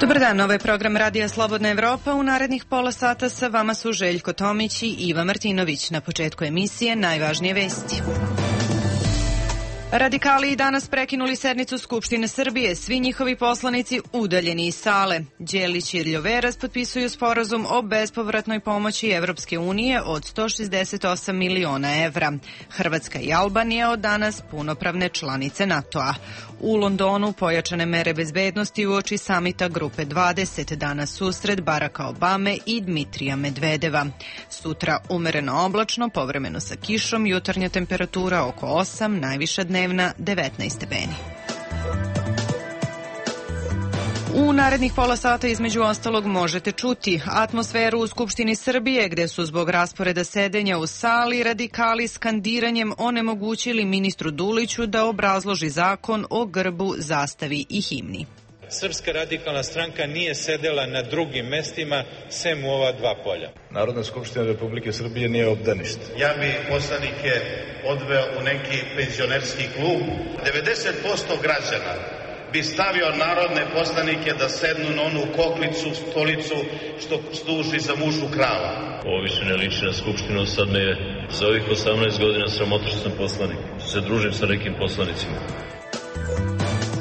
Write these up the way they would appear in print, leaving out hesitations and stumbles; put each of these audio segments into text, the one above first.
Dobar dan, ovo je program Radija Slobodna Evropa. U narednih pola sata sa vama su Željko Tomić i Iva Martinović. Na početku emisije najvažnije vesti. Radikali i danas prekinuli sednicu Skupštine Srbije. Svi njihovi poslanici udaljeni iz sale. Đelić i Ljoveras potpisuju sporazum o bespovratnoj pomoći Evropske unije od 168 miliona evra. Hrvatska i Albanija od danas punopravne članice NATO-a. U Londonu pojačane mere bezbednosti uoči samita Grupe 20. Danas susret Baracka Obame i Dmitrija Medvedeva. Sutra umereno oblačno, povremeno sa kišom, jutarnja temperatura oko 8, najviša dnevna 19 stepeni. U narednih pola sata između ostalog možete čuti atmosferu u Skupštini Srbije gde su zbog rasporeda sedenja u sali radikali skandiranjem onemogućili ministru Duliću da obrazloži zakon o grbu, zastavi i himni. Srpska radikalna stranka nije sedela na drugim mestima sem u ova dva polja. Narodna skupština Republike Srbije nije obdanište. Ja bi poslanike odveo u neki penzionerski klub. 90% građana bi stavio narodne poslanike da sednu na onu koklicu, stolicu što služi za mužu krava. Ovo više ne liči na skupštinu, sad me je za ovih 18 godina sramota što sam poslanik. Se družim sa nekim poslanicima.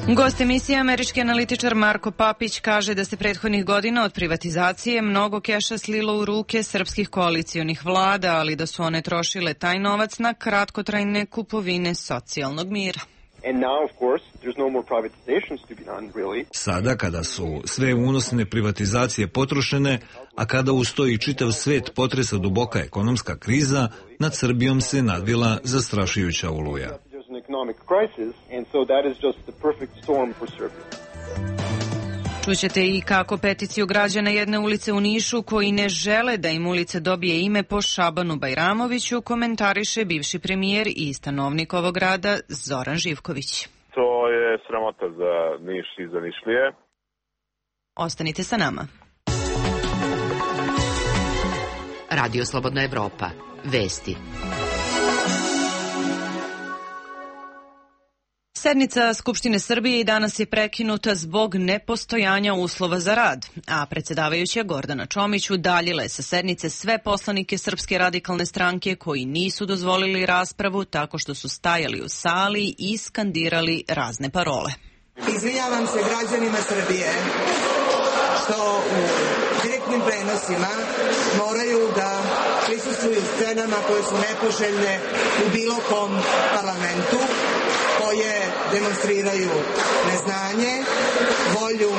Gost emisije, američki analitičar Marko Papić, kaže da se prethodnih godina od privatizacije mnogo keša slilo u ruke srpskih koalicijonih vlada, ali da su one trošile taj novac na kratkotrajne kupovine socijalnog mira. Sada kada su sve unosne privatizacije potrošene, a kada ustoji čitav svet potresa duboka ekonomska kriza, nad Srbijom se nadvila zastrašujuća oluja. Čućete i kako peticiju građana jedne ulice u Nišu koji ne žele da im ulica dobije ime po Šabanu Bajramoviću komentariše bivši premijer i stanovnik ovog grada Zoran Živković. To je sramota za Niš i za Nišlije. Ostanite sa nama. Radio Slobodna Evropa. Vesti. Sednica Skupštine Srbije i danas je prekinuta zbog nepostojanja uslova za rad, a predsjedavajuća Gordana Čomić udaljila je sa sednice sve poslanike Srpske radikalne stranke koji nisu dozvolili raspravu tako što su stajali u sali i skandirali razne parole. Izvinjavam se građanima Srbije što u direktnim prenosima moraju da prisustvuju scenama koje su nepoželjne u bilo kom parlamentu, koje demonstriraju neznanje, volju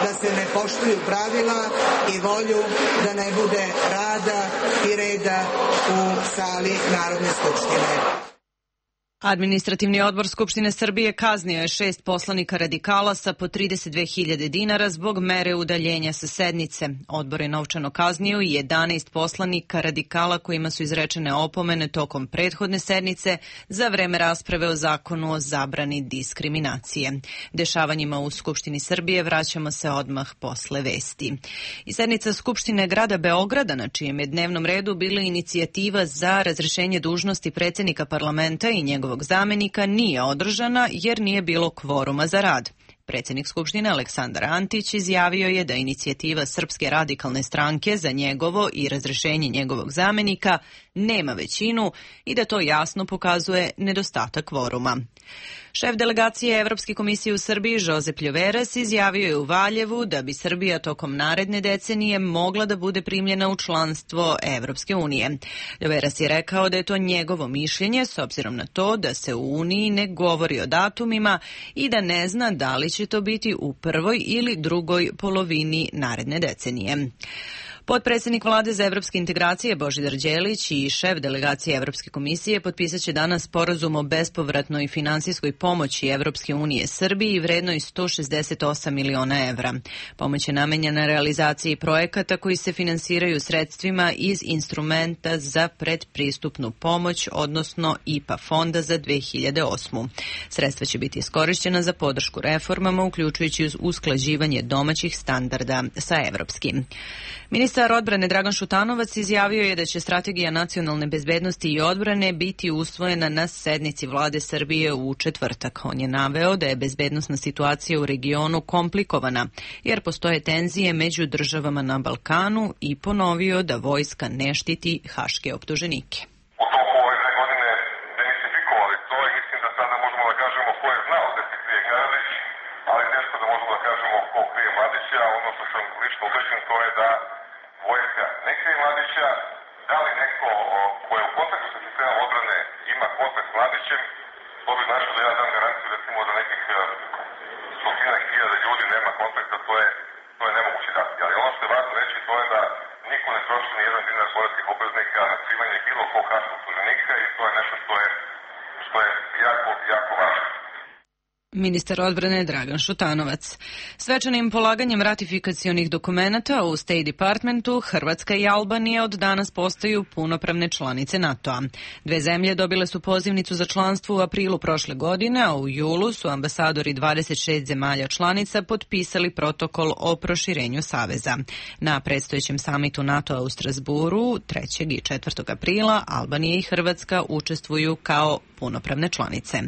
da se ne poštuju pravila i volju da ne bude rada i reda u sali Narodne skupštine. Administrativni odbor Skupštine Srbije kaznio je 6 poslanika radikala sa po 32.000 dinara zbog mere udaljenja sa sednice. Odbor je novčano kaznio i 11 poslanika radikala kojima su izrečene opomene tokom prethodne sednice za vreme rasprave o zakonu o zabrani diskriminacije. Dešavanjima u Skupštini Srbije vraćamo se odmah posle vesti. I sednica Skupštine grada Beograda, na čijem je dnevnom redu bila inicijativa za razrešenje dužnosti predsjednika parlamenta i njegovog zamenika, nije održana jer nije bilo kvoruma za rad. Predsjednik Skupštine Aleksandar Antić izjavio je da inicijativa Srpske radikalne stranke za njegovo i razrešenje njegovog zamenika nema većinu i da to jasno pokazuje nedostatak kvoruma. Šef delegacije Evropske komisije u Srbiji Josep Ljoveras izjavio je u Valjevu da bi Srbija tokom naredne decenije mogla da bude primljena u članstvo Evropske unije. Ljoveras je rekao da je to njegovo mišljenje s obzirom na to da se u Uniji ne govori o datumima i da ne zna da li će to biti u prvoj ili drugoj polovini naredne decenije. Potpredsjednik vlade za evropske integracije Božidar Đelić i šef delegacije Evropske komisije potpisat će danas sporazum o bespovratnoj finansijskoj pomoći Evropske unije Srbiji vrednoj 168 miliona evra. Pomoć je namenjena realizaciji projekata koji se finansiraju sredstvima iz instrumenta za predpristupnu pomoć, odnosno IPA fonda za 2008. Sredstva će biti iskorišćena za podršku reformama, uključujući usklađivanje domaćih standarda sa evropskim. Ministar Ministar odbrane Dragan Šutanovac izjavio je da će strategija nacionalne bezbednosti i odbrane biti usvojena na sednici vlade Srbije u četvrtak. On je naveo da je bezbednosna situacija u regionu komplikovana, jer postoje tenzije među državama na Balkanu i ponovio da vojska ne štiti haške optuženike. U toku ove 2 godine demistifikovali to i mislim da sada možemo da kažemo ko je znao da se krije Karadzić, ali teško da možemo da kažemo ko krije Mladića. Ono što sam lično ubeđen to je da vojska ne krije Mladića. Da li neko ko je u kontaktu sa sistemom odbrane ima kontakt s Mladićem, to bi značilo da ja dam garanciju recimo da nekih stotinak hiljada ljudi nema kontakta, to je nemoguće dati. Ali ono što je važno reći to je da niko ne troši ni jedan dinar poreskih obveznika na skrivanje bilo kog haškog optuženika i to je nešto što je jako, jako važno. Ministar odbrane Dragan Šutanovac. Svečanim polaganjem ratifikacionih dokumenata u State Departmentu, Hrvatska i Albanija od danas postaju punopravne članice NATO-a. Dve zemlje dobile su pozivnicu za članstvo u aprilu prošle godine, a u julu su ambasadori 26 zemalja članica potpisali protokol o proširenju saveza. Na predstojećem samitu NATO-a u Strasburu 3. i 4. aprila Albanija i Hrvatska učestvuju kao punopravne članice.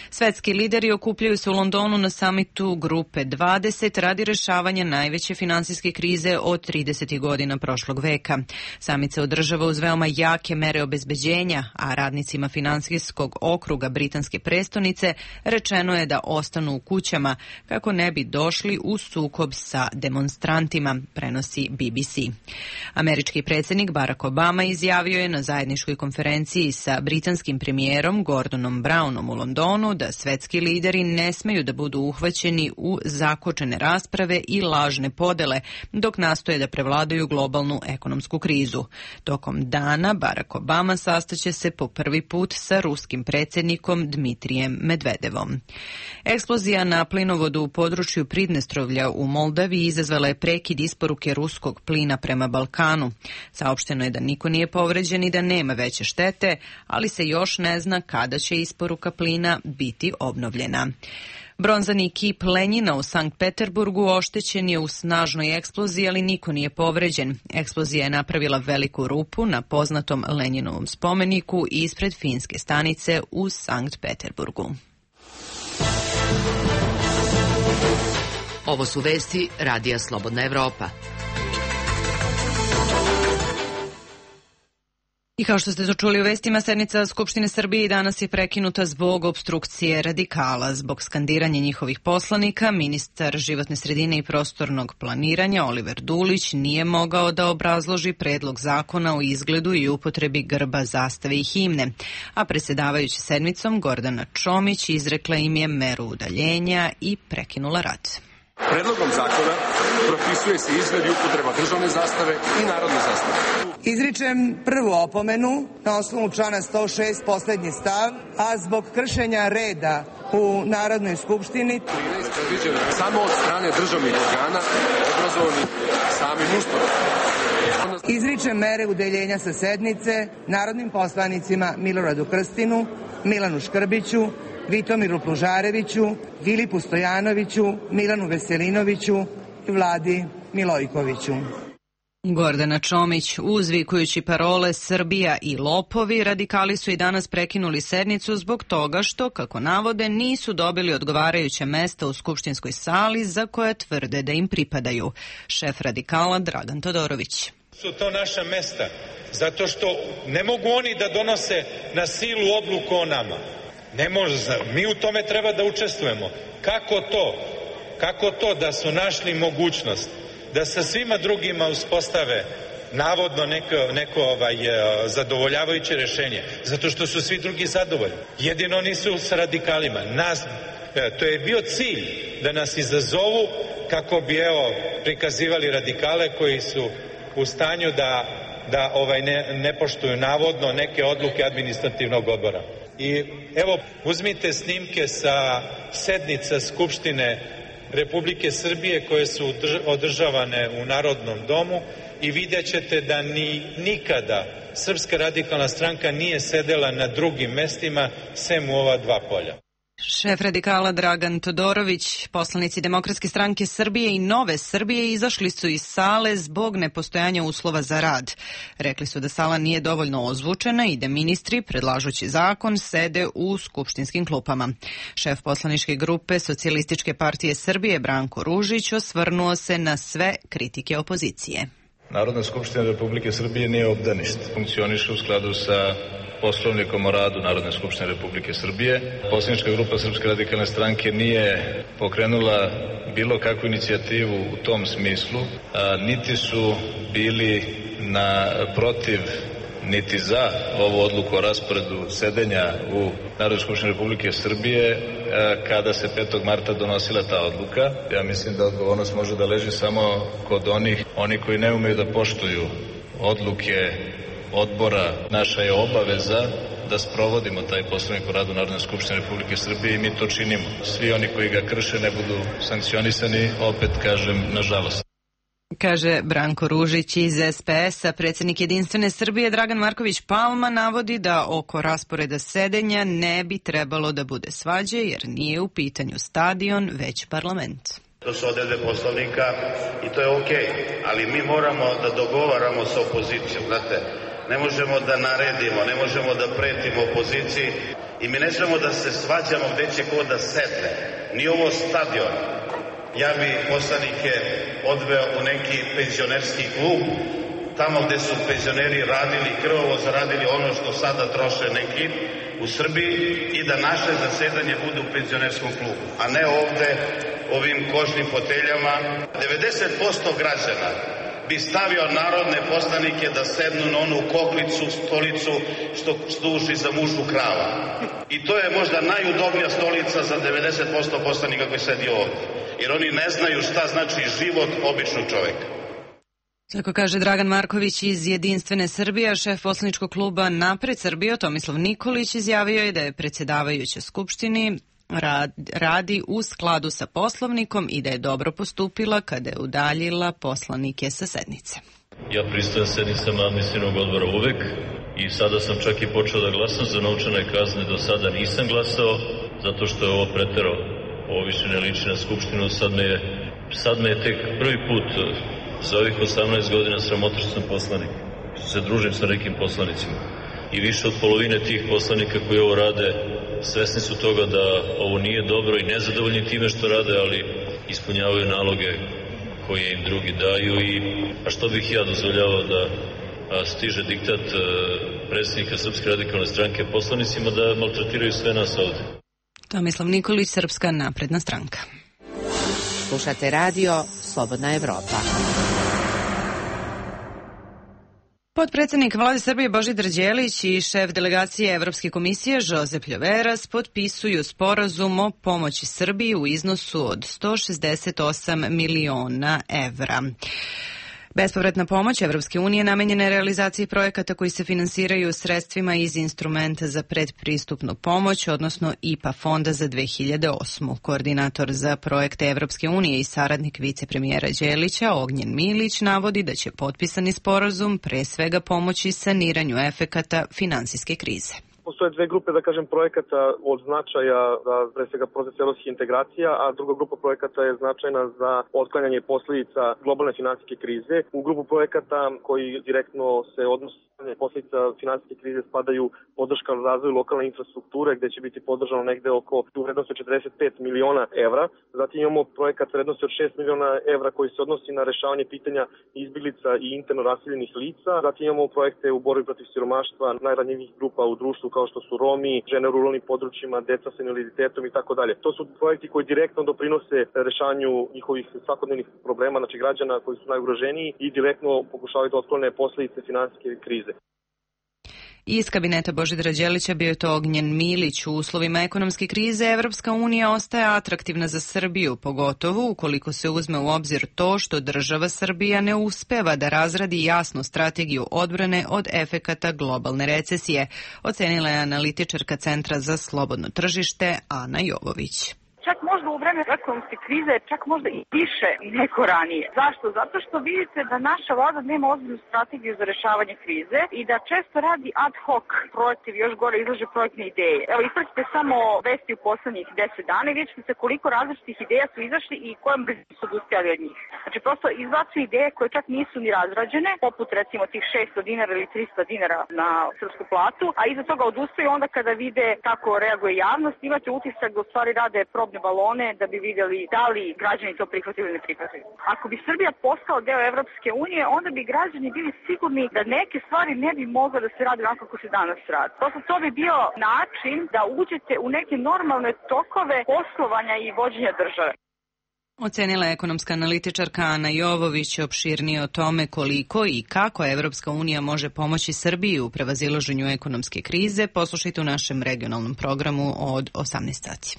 Svetski lideri okupljaju se u Londonu na samitu Grupe 20 radi rešavanja najveće finansijske krize od 30. godina prošlog veka. Samit se održava uz veoma jake mere obezbeđenja, a radnicima finansijskog okruga britanske prestonice rečeno je da ostanu u kućama kako ne bi došli u sukob sa demonstrantima, prenosi BBC. Američki predsjednik Barack Obama izjavio je na zajedničkoj konferenciji sa britanskim premijerom Gordonom Brownom u Londonu da svetski lideri ne smeju da budu uhvaćeni u zakočene rasprave i lažne podele dok nastoje da prevladaju globalnu ekonomsku krizu. Tokom dana Barack Obama sastaće se po prvi put sa ruskim predsjednikom Dmitrijem Medvedevom. Eksplozija na plinovodu u području Pridnestrovlja u Moldaviji izazvala je prekid isporuke ruskog plina prema Balkanu. Saopšteno je da niko nije povređen i da nema veće štete, ali se još ne zna kada će isporuka plina biti obnovljena. Bronzani kip Lenjina u Sankt Peterburgu oštećen je u snažnoj eksploziji, ali niko nije povređen. Eksplozija je napravila veliku rupu na poznatom Lenjinovom spomeniku ispred finske stanice u Sankt Peterburgu. Ovo su vesti Radija Slobodna Evropa. I kao što ste to čuli u vestima, sednica Skupštine Srbije danas je prekinuta zbog opstrukcije radikala. Zbog skandiranja njihovih poslanika, ministar životne sredine i prostornog planiranja Oliver Dulić nije mogao da obrazloži predlog zakona o izgledu i upotrebi grba, zastave i himne, a predsjedavajući sedmicom Gordana Čomić izrekla im je meru udaljenja i prekinula rad. Predlogom zakona propisuje se izgled i upotreba državne zastave i narodne zastave. Izričem prvu opomenu na osnovu člana 106 poslednji stav, a zbog kršenja reda u Narodnoj skupštini. 13 predviđeno samo od strane državnih organa obrazovanih samim Ustavom. Izričem mere udaljenja sa sednice narodnim poslanicima Miloradu Krstinu, Milanu Škrbiću, Vitomiru Plužareviću, Filipu Stojanoviću, Milanu Veselinoviću i Vladi Milojkoviću. Gordana Čomić, uzvikujući parole Srbija i lopovi, radikali su i danas prekinuli sednicu zbog toga što, kako navode, nisu dobili odgovarajuća mesta u skupštinskoj sali za koje tvrde da im pripadaju. Šef radikala Dragan Todorović. Su to naša mesta, zato što ne mogu oni da donose na silu odluku o nama. Ne može, mi u tome treba da učestvujemo. Kako to da su našli mogućnost da sa svima drugima uspostave navodno neko zadovoljavajuće rješenje, zato što su svi drugi zadovoljni. Jedino nisu s radikalima. To je bio cilj da nas izazovu kako bi prikazivali radikale koji su u stanju da ne poštuju navodno neke odluke administrativnog odbora. I evo, uzmite snimke sa sednica Skupštine Republike Srbije koje su održavane u Narodnom domu i vidjet ćete da nikada Srpska radikalna stranka nije sedela na drugim mestima sem u ova dva polja. Šef radikala Dragan Todorović, poslanici Demokratske stranke Srbije i Nove Srbije izašli su iz sale zbog nepostojanja uslova za rad. Rekli su da sala nije dovoljno ozvučena i da ministri, predlažući zakon, sede u skupštinskim klupama. Šef poslaničke grupe Socijalističke partije Srbije Branko Ružić osvrnuo se na sve kritike opozicije. Narodna skupština Republike Srbije nije obdanište. Funkcioniše u skladu sa Poslovnikom o radu Narodne skupštine Republike Srbije. Poslanička grupa Srpske radikalne stranke nije pokrenula bilo kakvu inicijativu u tom smislu, niti su bili protiv niti za ovu odluku o rasporedu sedenja u Narodnoj skupštini Republike Srbije kada se 5. marta donosila ta odluka. Ja mislim da odgovornost može da leži samo kod oni koji ne umeju da poštuju odluke odbora. Naša je obaveza da sprovodimo taj Poslovnik o radu Narodne skupštine Republike Srbije i mi to činimo. Svi oni koji ga krše ne budu sankcionisani, opet kažem, nažalost. Kaže Branko Ružić iz SPS-a. Predsjednik Jedinstvene Srbije Dragan Marković Palma navodi da oko rasporeda sedenja ne bi trebalo da bude svađe jer nije u pitanju stadion, već parlament. To su odredbe Poslovnika i to je okej, ali mi moramo da dogovaramo sa opozicijom, znate. Ne možemo da naredimo, ne možemo da pretimo opoziciji i mi ne smemo da se svađamo gde će ko da sedne. Ni ovo stadion. Ja bi poslanike odveo u neki penzionerski klub, tamo gde su penzioneri radili, krvavo zaradili ono što sada troše neki u Srbiji i da naše zasedanje bude u penzionerskom klubu, a ne ovde ovim kožnim foteljama. 90% građana bi stavio narodne poslanike da sednu na onu koklicu, stolicu što služi za mužu krava. I to je možda najudobnija stolica za 90% poslanika koji sedi ovde. Jer oni ne znaju šta znači život običnog čoveka. Tako kaže Dragan Marković iz Jedinstvene Srbije, a šef poslaničkog kluba Napred Srbije Tomislav Nikolić izjavio je da je predsjedavajuća Skupštini radi u skladu sa Poslovnikom i da je dobro postupila kada je udaljila poslanike sa sednice. Ja pristajem sednicama administrativnog odbora uvek i sada sam čak i počeo da glasam za novčane kazne. Do sada nisam glasao zato što je ovo preterao. Ovo više ne liči na Skupštinu. Sad me je tek prvi put za ovih 18 godina sramota što sam poslanik, što se družim sa nekim poslanicima. I više od polovine tih poslanika koji ovo rade svesni su toga da ovo nije dobro i nezadovoljni time što rade, ali ispunjavaju naloge koje im drugi daju. A što bih ja dozvoljavao da stiže diktat predsjednika Srpske radikalne stranke poslanicima da maltretiraju sve nas ovde. Tomislav Nikolić, Srpska napredna stranka. Slušate radio Slobodna Evropa. Potpredsjednik Vlade Srbije Božidar Đelić i šef delegacije Evropske komisije Josep Ljoveras potpisuju sporazum o pomoći Srbiji u iznosu od 168 miliona evra. Bespovratna pomoć Evropske unije namenjena je realizaciji projekata koji se finansiraju sredstvima iz instrumenta za predpristupnu pomoć, odnosno IPA fonda za 2008. Koordinator za projekte Evropske unije i saradnik vicepremijera Đelića Ognjen Milić navodi da će potpisani sporazum pre svega pomoći saniranju efekata finansijske krize. Postoje dve grupe, da kažem, projekata od značaja za, pre svega, proces evropskih integracija, a druga grupa projekata je značajna za otklanjanje posljedica globalne finansijske krize. U grupu projekata koji direktno se odnose na posljedica finansijske krize spadaju podrška razvoju lokalne infrastrukture, gde će biti podržano negde oko vrednosti 45 miliona evra. Zatim imamo projekat vrednosti od 6 miliona evra koji se odnosi na rešavanje pitanja izbjeglica i interno raseljenih lica. Zatim imamo projekte u borbi protiv siromaštva najranjivijih grupa u društvu kao što su Romi, žene u ruralnim područjima, deca sa invaliditetom i tako dalje. To su projekti koji direktno doprinose rešavanju njihovih svakodnevnih problema, znači građana koji su najugroženiji i direktno pokušavaju da otklone posljedice finansijske krize. Iz kabineta Božidara Đelića bio je to Ognjen Milić. U uslovima ekonomske krize Evropska unija ostaje atraktivna za Srbiju, pogotovo ukoliko se uzme u obzir to što država Srbija ne uspeva da razradi jasnu strategiju odbrane od efekata globalne recesije, ocenila je analitičarka Centra za slobodno tržište Ana Jovović. čak možda u vreme ekonomske krize, čak možda i više nego ranije. Zašto? Zato što vidite da naša vlada nema ozbiljnu strategiju za rešavanje krize i da često radi ad hoc projektiv, još gore izlaže projektne ideje. Evo, ispratite samo vesti u poslednjih 10 dana i vidite se koliko različitih ideja su izašli i kojom bi su odustajali od njih. Znači, prosto izbacuju ideje koje čak nisu ni razrađene, poput recimo tih 600 dinara ili 300 dinara na srpsku platu, a iza toga odustaju onda kada vide kako reaguje javnost, imate utisak da u stvari rade probne balone da bi videli da li građani to prihvatili ili ne prihvatili. Ako bi Srbija postala deo Evropske unije, onda bi građani bili sigurni da neke stvari ne bi mogle da se rade onako kako se danas radi. Prosto to bi bio način da uđete u neke normalne tokove poslovanja i vođenja države. Ocenila je ekonomska analitičarka Ana Jovović. Opširnije o tome koliko i kako Evropska unija može pomoći Srbiji u prevazilaženju ekonomske krize poslušajte u našem regionalnom programu od 18 sati.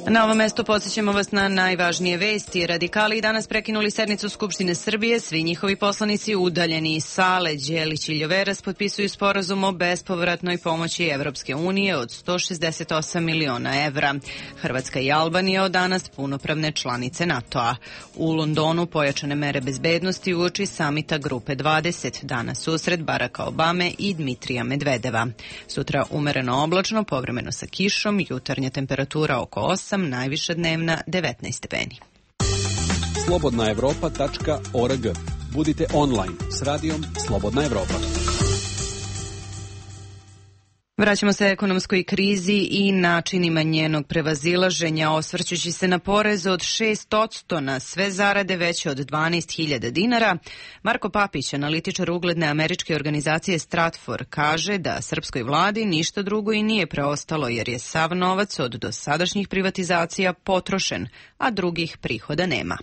Na ovom mestu podsjećamo vas na najvažnije vesti. Radikali danas prekinuli sednicu Skupštine Srbije. Svi njihovi poslanici udaljeni iz sale. Đelić i Ljoveras potpisuju sporazum o bespovratnoj pomoći Evropske unije od 168 miliona evra. Hrvatska i Albanija od danas punopravne članice NATO-a. U Londonu pojačane mere bezbednosti uoči samita Grupe 20. Danas susret Baracka Obame i Dmitrija Medvedeva. Sutra umereno oblačno, povremeno sa kišom, jutarnja temperatura oko 8, najviša dnevna 19 stepeni. Slobodnaevropa.org. Budite online s radijom Slobodna Evropa. Vraćamo se ekonomskoj krizi i načinima njenog prevazilaženja, osvrćući se na porez od 6% na sve zarade veće od 12.000 dinara. Marko Papić, analitičar ugledne američke organizacije Stratfor, kaže da srpskoj vladi ništa drugo i nije preostalo jer je sav novac od dosadašnjih privatizacija potrošen, a drugih prihoda nema.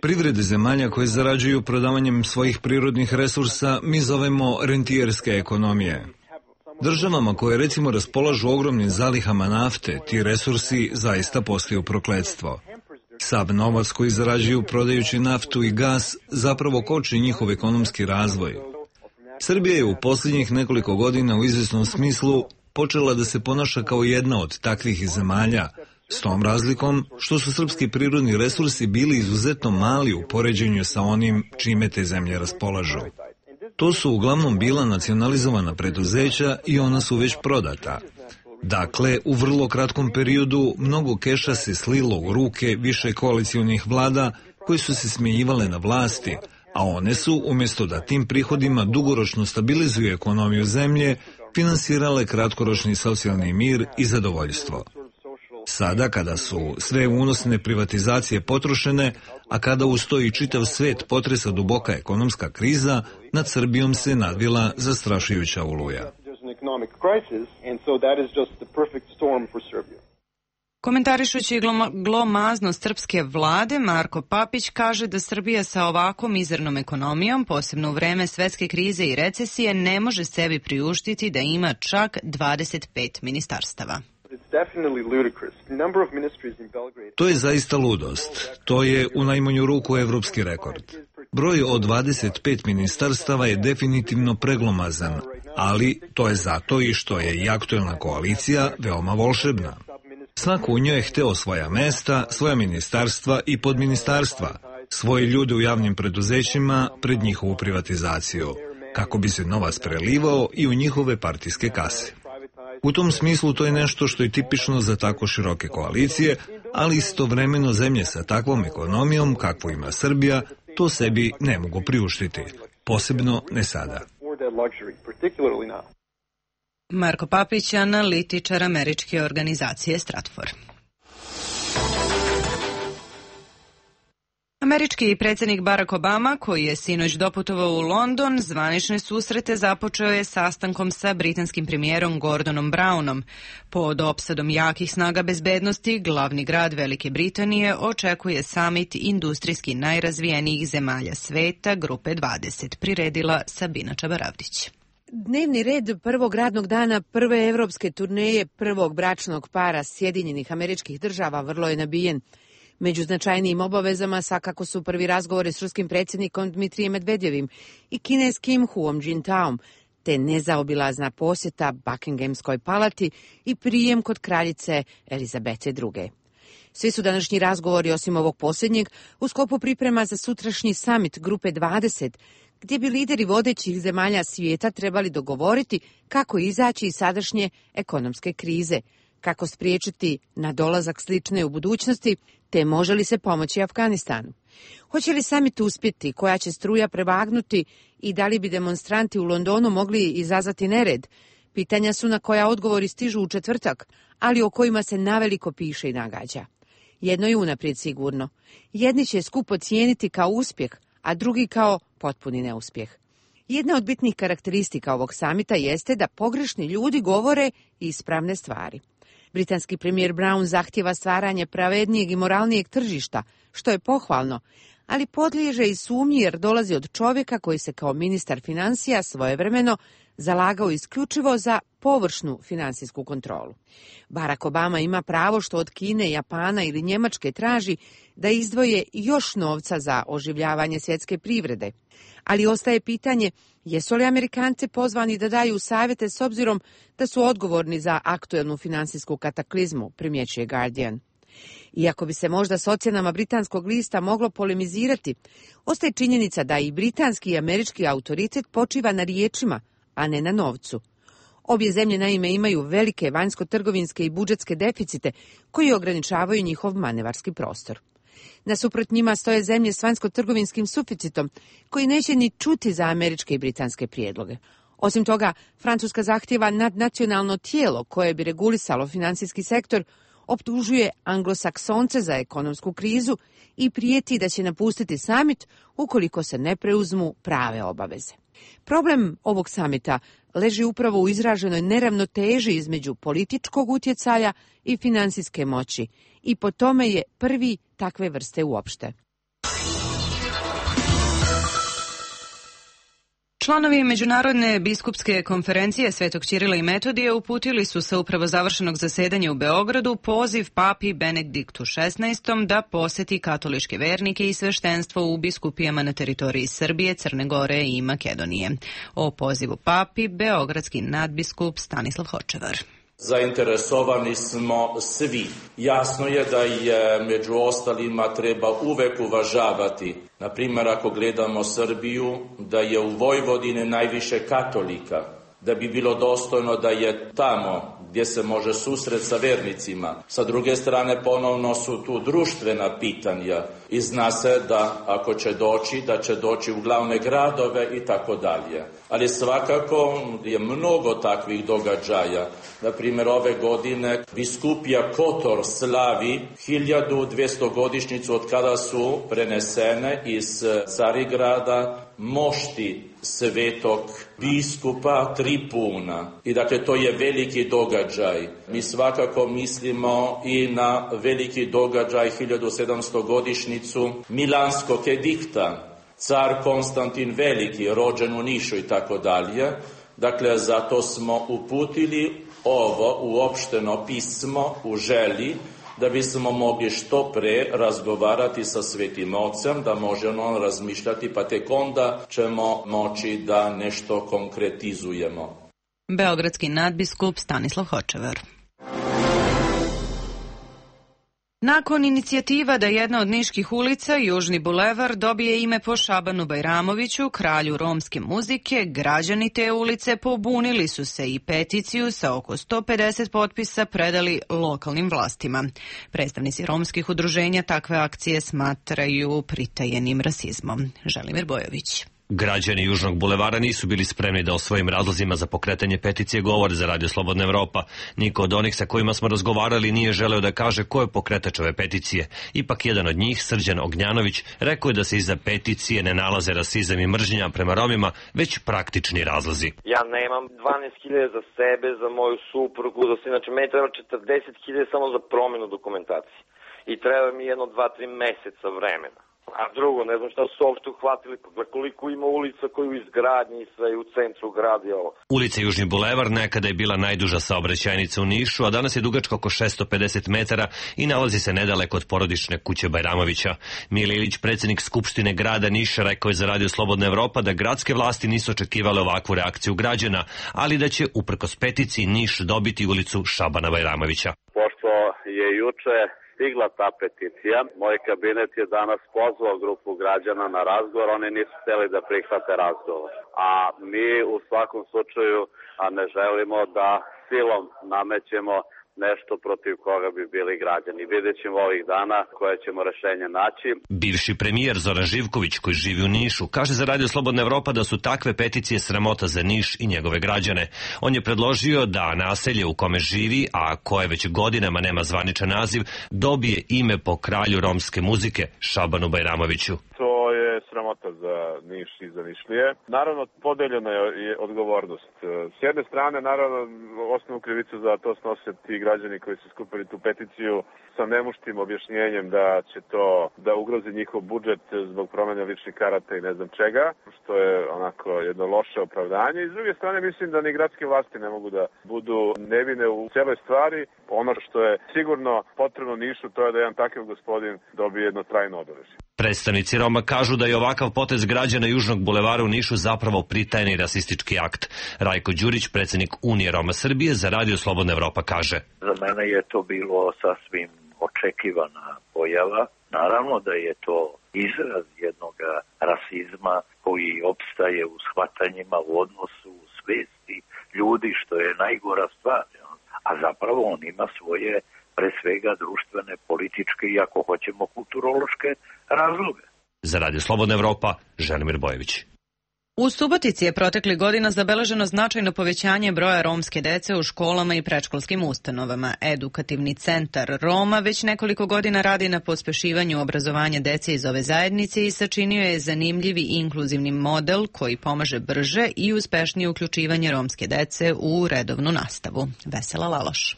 Privrede zemalja koje zarađuju prodavanjem svojih prirodnih resursa mi zovemo rentijerske ekonomije. Državama koje recimo raspolažu ogromnim zalihama nafte, ti resursi zaista postaju prokletstvo. Sav novac koji zarađuju prodajući naftu i gas zapravo koči njihov ekonomski razvoj. Srbija je u posljednjih nekoliko godina u izvjesnom smislu počela da se ponaša kao jedna od takvih zemalja, s tom razlikom što su srpski prirodni resursi bili izuzetno mali u poređenju sa onim čime te zemlje raspolažu. To su uglavnom bila nacionalizovana preduzeća i ona su već prodata. Dakle, u vrlo kratkom periodu mnogo keša se slilo u ruke više koalicionih vlada koji su se smjenjivale na vlasti, a one su, umjesto da tim prihodima dugoročno stabilizuju ekonomiju zemlje, finansirale kratkoročni socijalni mir i zadovoljstvo. Sada, kada su sve unosne privatizacije potrošene, a kada uz to i čitav svet potresa duboka ekonomska kriza, nad Srbijom se nadvila zastrašujuća oluja. Komentarišući glomaznost srpske vlade, Marko Papić kaže da Srbija sa ovako mizernom ekonomijom, posebno u vreme svetske krize i recesije, ne može sebi priuštiti da ima čak 25 ministarstava. To je zaista ludost. To je u najmanju ruku evropski rekord. Broj od 25 ministarstava je definitivno preglomazan, ali to je zato i što je i aktuelna koalicija veoma volšebna. Svako u njoj je hteo svoja mesta, svoja ministarstva i podministarstva, svoje ljude u javnim preduzećima pred njihovu privatizaciju, kako bi se novac prelivao i u njihove partijske kase. U tom smislu to je nešto što je tipično za tako široke koalicije, ali istovremeno zemlje sa takvom ekonomijom kakvu ima Srbija to sebi ne mogu priuštiti, posebno ne sada. Marko Papić, analitičar američke organizacije Stratfor. Američki predsjednik Barack Obama, koji je sinoć doputovao u London, zvanične susrete započeo je sastankom sa britanskim premijerom Gordonom Brownom. Pod opsadom jakih snaga bezbednosti, glavni grad Velike Britanije očekuje samit industrijski najrazvijenijih zemalja sveta, Grupe 20, priredila Sabina Čabaravdić. Dnevni red prvog radnog dana prve evropske turneje prvog bračnog para Sjedinjenih Američkih Država vrlo je nabijen. Među značajnijim obavezama svakako su prvi razgovori s ruskim predsjednikom Dmitrijem Medvedjevim i kineskim Huom Jintaom, te nezaobilazna posjeta Buckinghamskoj palati i prijem kod kraljice Elizabete II. Svi su današnji razgovori, osim ovog posljednjeg, u sklopu priprema za sutrašnji summit Grupe 20, gdje bi lideri vodećih zemalja svijeta trebali dogovoriti kako izaći iz sadašnje ekonomske krize, kako spriječiti nadolazak slične u budućnosti, te može li se pomoći Afganistanu. Hoće li summit uspjeti, koja će struja prevagnuti i da li bi demonstranti u Londonu mogli izazvati nered? Pitanja su na koja odgovori stižu u četvrtak, ali o kojima se naveliko piše i nagađa. Jedno je unaprijed sigurno. Jedni će skup ocijeniti kao uspjeh, a drugi kao potpuni neuspjeh. Jedna od bitnih karakteristika ovog samita jeste da pogrešni ljudi govore ispravne stvari. Britanski premijer Brown zahtjeva stvaranje pravednijeg i moralnijeg tržišta, što je pohvalno, ali podliježe i sumnji jer dolazi od čovjeka koji se kao ministar financija svojevremeno zalagao isključivo za površnu financijsku kontrolu. Barack Obama ima pravo što od Kine, Japana ili Njemačke traži da izdvoje još novca za oživljavanje svjetske privrede. Ali ostaje pitanje jesu li Amerikanci pozvani da daju savjete s obzirom da su odgovorni za aktuelnu financijsku kataklizmu, primjećuje Guardian. Iako bi se možda s ocjenama britanskog lista moglo polemizirati, ostaje činjenica da i britanski i američki autoritet počiva na riječima, a ne na novcu. Obje zemlje naime imaju velike vanjsko-trgovinske i budžetske deficite koji ograničavaju njihov manevarski prostor. Nasuprot njima stoje zemlje s vanjsko-trgovinskim suficitom koji neće ni čuti za američke i britanske prijedloge. Osim toga, Francuska zahtjeva nadnacionalno tijelo koje bi regulisalo financijski sektor, optužuje anglosaksonce za ekonomsku krizu i prijeti da će napustiti samit ukoliko se ne preuzmu prave obaveze. Problem ovog samita leži upravo u izraženoj neravnoteži između političkog utjecaja i financijske moći i po tome je prvi takve vrste uopšte. Članovi Međunarodne biskupske konferencije Svetog Ćirila i Metodija uputili su sa upravo završenog zasedanja u Beogradu poziv papi Benediktu XVI da poseti katoličke vernike i sveštenstvo u biskupijama na teritoriji Srbije, Crne Gore i Makedonije. O pozivu papi beogradski nadbiskup Stanislav Hočevar. Zainteresovani smo svi. Jasno je da je među ostalima treba uvek uvažavati, na primjer ako gledamo Srbiju, da je u Vojvodini najviše katolika, da bi bilo dostojno da je tamo gdje se može susret sa vernicima. Sa druge strane ponovno su tu društvena pitanja i zna se da ako će doći, da će doći u glavne gradove i tako dalje. Ali svakako je mnogo takvih događaja. Na primjer, ove godine biskupija Kotor slavi 1200 godišnjicu od kada su prenesene iz Carigrada mošti svetog biskupa Tripuna. I dakle, to je veliki događaj. Mi svakako mislimo i na veliki događaj 1700 godišnjicu Milanskog edikta. Car Konstantin Veliki, rođen u Nišu i tako dalje. Dakle, zato smo uputili ovo uopšteno pismo u želji da bismo mogli što pre razgovarati sa Svetim Ocem, da možemo on razmišljati, pa tek onda ćemo moći da nešto konkretizujemo. Beogradski nadbiskup Stanislav Hočevar. Nakon inicijativa da jedna od niških ulica, Južni bulevar, dobije ime po Šabanu Bajramoviću, kralju romske muzike, građani te ulice pobunili su se i peticiju sa oko 150 potpisa predali lokalnim vlastima. Predstavnici romskih udruženja takve akcije smatraju pritajenim rasizmom. Želimir Bojović. Građani Južnog bulevara nisu bili spremni da o svojim razlozima za pokretanje peticije govore za Radio Slobodna Evropa. Niko od onih sa kojima smo razgovarali nije želeo da kaže ko je pokretač ove peticije. Ipak jedan od njih, Srđan Ognjanović, rekao je da se iza peticije ne nalaze rasizam i mržnja prema Romima, već praktični razlozi. Ja nemam 12.000 za sebe, za moju suprugu, znači meni treba 40.000 samo za promjenu dokumentacije. I treba mi jedno 2-3 meseca vremena. A drugo, ne znam šta su uopšte uhvatili, pa koliko ima ulica koji u izgradnji i sve u centru gradi ovo. Ulica Južni bulevar nekada je bila najduža saobraćajnica u Nišu, a danas je dugačka oko 650 metara i nalazi se nedaleko od porodične kuće Bajramovića. Mile Ilić, predsjednik Skupštine grada Niša, rekao je za Radio Slobodna Evropa da gradske vlasti nisu očekivale ovakvu reakciju građana, ali da će uprkos peticiji Niš dobiti ulicu Šabana Bajramovića. Pošto je juče stigla ta peticija, moj kabinet je danas pozvao grupu građana na razgovor, oni nisu hteli da prihvate razgovor. A mi u svakom slučaju ne želimo da silom namećemo nešto protiv koga bi bili građani. Vidjet ćemo ovih dana koje ćemo rešenje naći. Bivši premijer Zoran Živković, koji živi u Nišu, kaže za Radio Slobodna Evropa da su takve peticije sramota za Niš i njegove građane. On je predložio da naselje u kome živi, a koje već godinama nema zvaničan naziv, dobije ime po kralju romske muzike Šabanu Bajramoviću. To je sramota za Niš i za Nišlije. Naravno, podeljena je odgovornost. S jedne strane, naravno, osnovnu krivicu za to snose ti građani koji su skupili tu peticiju sa nemuštim objašnjenjem da će to da ugrozi njihov budžet zbog promjene ličnih karata i ne znam čega, što je onako jedno loše opravdanje. I s druge strane, mislim da ni gradske vlasti ne mogu da budu nevine u cijeloj stvari. Ono što je sigurno potrebno Nišu, to je da jedan takav gospodin dobije jedno trajno obeležje. Predstavnici Roma kažu da je ovakav potez građana Južnog bulevara u Nišu zapravo pritajni rasistički akt. Rajko Đurić, predsjednik Unije Roma Srbije, za Radio Slobodna Evropa kaže: Za mene je to bilo sasvim očekivana pojava. Naravno da je to izraz jednog rasizma koji opstaje u shvatanjima, u odnosu, u svesti ljudi, što je najgora stvar. A zapravo on ima svoje, pre svega, društvene, političke i, ako hoćemo, kulturološke razloge. Za Radio Slobodna Evropa, Želimir Bojević. U Subotici je proteklih godina zabeleženo značajno povećanje broja romske dece u školama i predškolskim ustanovama. Edukativni centar Roma već nekoliko godina radi na pospešivanju obrazovanja dece iz ove zajednice i sačinio je zanimljiv i inkluzivni model koji pomaže brže i uspešnije uključivanje romske dece u redovnu nastavu. Vesela Laloš.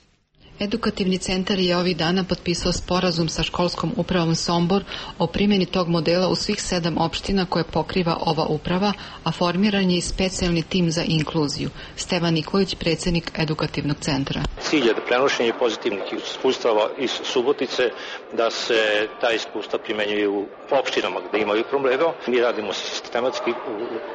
Edukativni centar je ovih dana potpisao sporazum sa školskom upravom Sombor o primjeni tog modela u svih 7 opština koje pokriva ova uprava, a formiran je i specijalni tim za inkluziju. Stevan Nikolić, predsjednik Edukativnog centra. Cilj je da prenošenje pozitivnih iskustava iz Subotice, da se ta iskustva primenjuju u opštinama gde imaju problema. Mi radimo sistematski u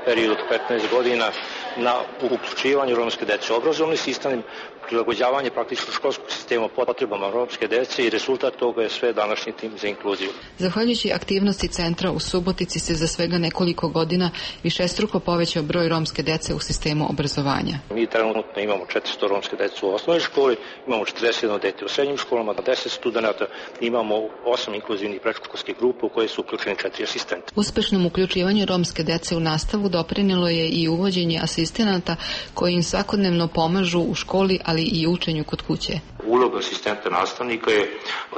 periodu 15 godina na uključivanju romske dece u obrazovni sistem, prilagođavanje praktično školskog sistema potrebama romske dece i rezultat toga je sve današnji tim za inkluziju. Zahvaljujući aktivnosti centra u Subotici se za svega nekoliko godina višestruko povećao broj romske dece u sistemu obrazovanja. Mi trenutno imamo 400 romske dece u osnovnoj školi, imamo 41 dete u srednjim školama, 10 studenta, imamo 8 inkluzivnih predškolskih grupa u koje su uključeni 4 asistenta. Uspešnom uključivanju romske dece u nastavu doprinelo je i uvođenje asistenata koji im svakodnevno pomažu u školi, ali i učenju kod kuće. Uloga asistenta nastavnika je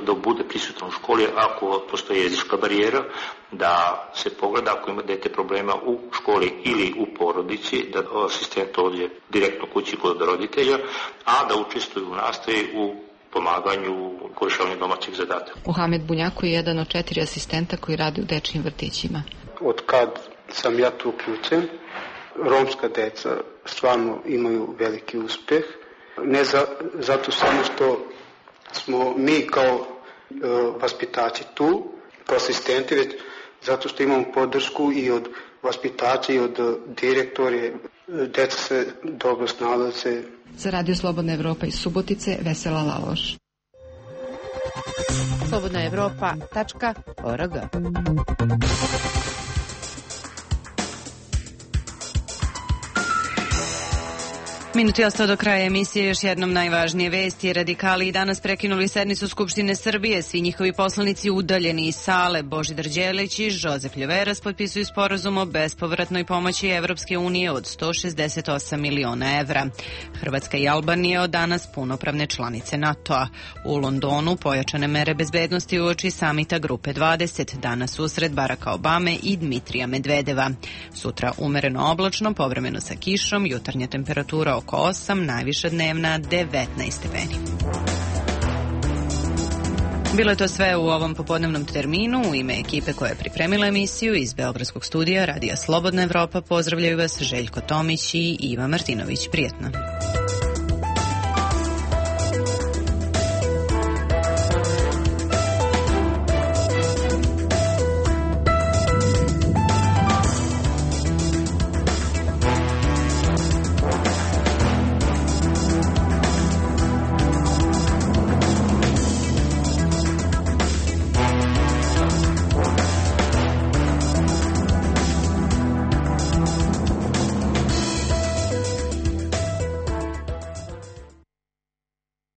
da bude prisutan u školi ako postoji jezička barijera, da se pogleda ako ima dete problema u školi ili u porodici, da asistent dođe direktno kući kod roditelja, a da učestvuje u nastavi u pomaganju u rešavanju domaćih zadataka. Mohamed Bunjako je jedan od 4 asistenta koji radi u dečijim vrtićima. Od kad sam ja tu uključen, romska deca stvarno imaju veliki uspeh. Ne zato samo što smo mi kao vaspitači tu, kao asistenti, već zato što imamo podršku i od vaspitača i od direktore. Deca se dobro snalaze. Za Radio Slobodna Evropa iz Subotice, Vesela Laloš. slobodnaevropa.org. Minut je ostao do kraja emisije. Još jednom najvažnije vesti. Radikali i danas prekinuli sednicu Skupštine Srbije. Svi njihovi poslanici udaljeni iz sale. Božidar Đelić i Žozef Ljoveras potpisuju sporazum o bespovratnoj pomoći Evropske unije od 168 miliona evra. Hrvatska i Albanija od danas punopravne članice NATO-a. U Londonu pojačane mere bezbednosti uoči samita Grupe 20. Danas usred Baracka Obame i Dmitrija Medvedeva. Sutra umereno oblačno, povremeno sa kišom, jutarnja temperatura oko 8, najviša dnevna 19 stepeni. Bilo je to sve u ovom popodnevnom terminu. U ime ekipe koja je pripremila emisiju iz Beogradskog studija Radija Slobodna Evropa pozdravljaju vas Željko Tomić i Iva Martinović. Prijetno.